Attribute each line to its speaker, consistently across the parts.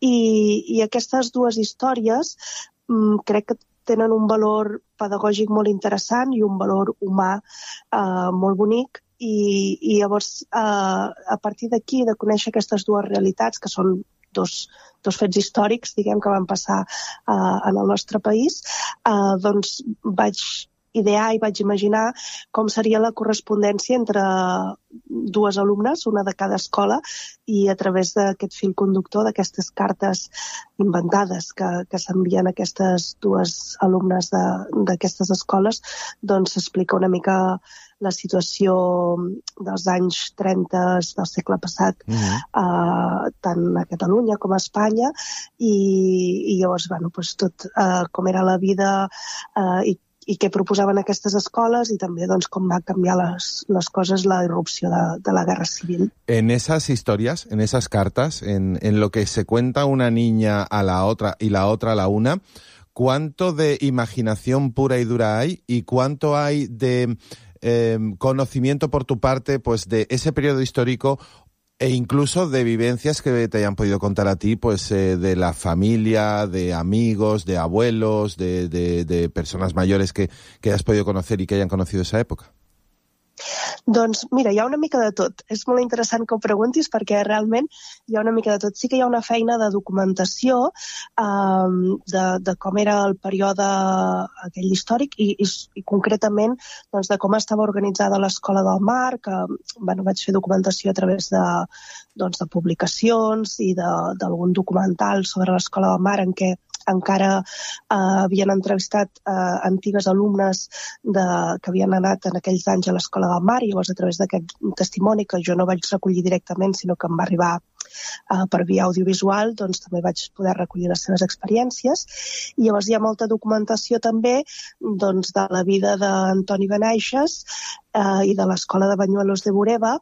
Speaker 1: I aquestes dues històries crec que tenen un valor pedagògic molt interessant i un valor humà molt bonic. I llavors, a partir d'aquí, de conèixer aquestes dues realitats, que són dos fets històrics, diguem, que van passar en el nostre país, doncs vaig idear i vaig imaginar com seria la correspondència entre dues alumnes, una de cada escola, i a través d'aquest fil conductor, d'aquestes cartes inventades que s'envien a aquestes dues alumnes d'aquestes escoles, doncs s'explica una mica la situació dels anys 30 del segle passat, tant a Catalunya com a Espanya, i llavors, doncs, tot com era la vida i què proposaven aquestes escoles y también com va canviar les coses, la irrupció de la guerra civil.
Speaker 2: En esas historias, en esas cartas, en lo que se cuenta una niña a la otra y la otra a la una, ¿cuánto de imaginación pura y dura hay y cuánto hay de conocimiento por tu parte, pues, de ese periodo histórico e incluso de vivencias que te hayan podido contar a ti, pues de la familia, de amigos, de abuelos, de personas mayores que has podido conocer y que hayan conocido esa época?
Speaker 1: Doncs mira, hi ha una mica de tot. És molt interessant que ho preguntis perquè realment hi ha una mica de tot. Sí que hi ha una feina de documentació de com era el període aquell històric i concretament doncs, de com estava organitzada l'Escola del Mar, que vaig fer documentació a través de publicacions i d'algun documental sobre l'Escola del Mar en què encara havien entrevistat antigues alumnes que havien anat en aquells anys a l'Escola del Mar, i llavors a través d'aquest testimoni que jo no vaig recollir directament, sinó que em va arribar per via audiovisual, doncs també vaig poder recollir les seves experiències. I llavors hi ha molta documentació també doncs, de la vida d'Antoni Benaixes i de l'Escola de Bañuelos de Bureba,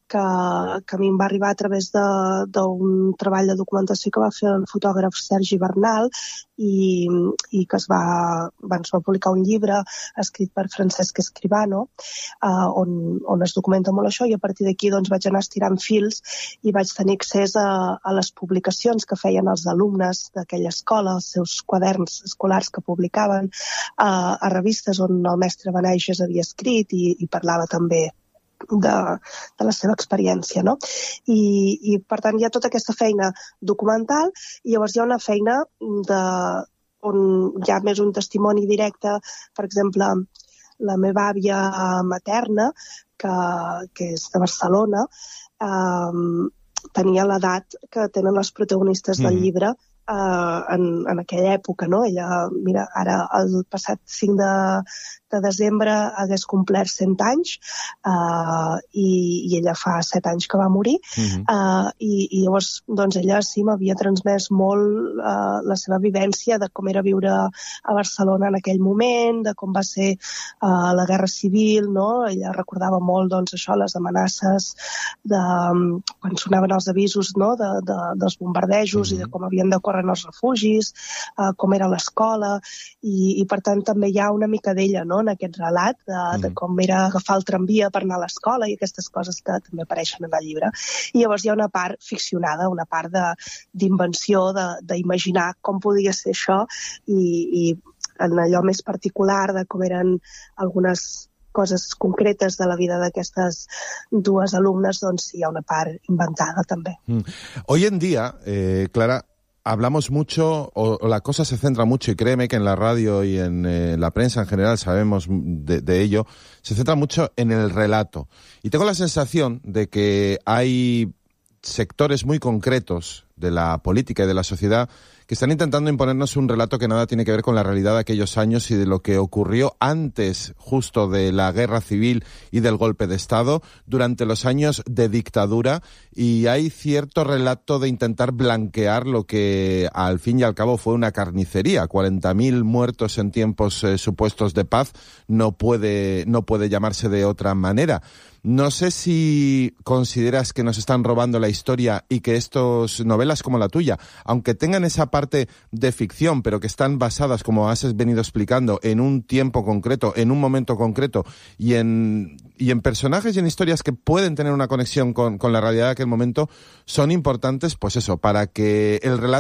Speaker 1: que a mi em va arribar a través d'un treball de documentació que va fer el fotògraf Sergi Bernal i que es va publicar un llibre escrit per Francesc Escribano on es documenta molt això, i a partir d'aquí doncs, vaig anar estirant fils i vaig tenir accés a les publicacions que feien els alumnes d'aquella escola, els seus quaderns escolars que publicaven, a revistes on el mestre Benaixes havia escrit i parlava també de la seva experiència, no? I per tant hi ha tota aquesta feina documental i llavors hi ha una feina on hi ha més un testimoni directe. Per exemple, la meva àvia materna, que és de Barcelona, tenia l'edat que tenen les protagonistes del llibre en aquella època, no? Ella, mira, ara el passat 5 de desembre hagués complert 100 anys i ella fa 7 anys que va morir i llavors doncs ella sí m'havia transmès molt la seva vivència de com era viure a Barcelona en aquell moment, de com va ser la Guerra Civil, no? Ella recordava molt doncs això, les amenaces quan sonaven els avisos, no? dels bombardejos i de com havien de córrer en els refugis, com era l'escola i per tant també hi ha una mica d'ella, no? En aquest relat de com era agafar el tramvia per anar a l'escola i aquestes coses que també apareixen en el llibre. I llavors hi ha una part ficcionada, una part d'invenció, d'imaginar com podia ser això i en allò més particular de com eren algunes coses concretes de la vida d'aquestes dues alumnes, doncs hi ha una part inventada també.
Speaker 2: Hoy en día, Clara, hablamos mucho, o la cosa se centra mucho, y créeme que en la radio y en la prensa en general sabemos de ello, se centra mucho en el relato. Y tengo la sensación de que hay sectores muy concretos de la política y de la sociedad que están intentando imponernos un relato que nada tiene que ver con la realidad de aquellos años y de lo que ocurrió antes justo de la guerra civil y del golpe de Estado, durante los años de dictadura, y hay cierto relato de intentar blanquear lo que al fin y al cabo fue una carnicería. 40.000 muertos en tiempos supuestos de paz no puede llamarse de otra manera. No sé si consideras que nos están robando la historia y que estas novelas como la tuya, aunque tengan esa parte de ficción, pero que están basadas, como has venido explicando, en un tiempo concreto, en un momento concreto y en personajes y en historias que pueden tener una conexión con la realidad de aquel momento, son importantes, pues eso, para que el relato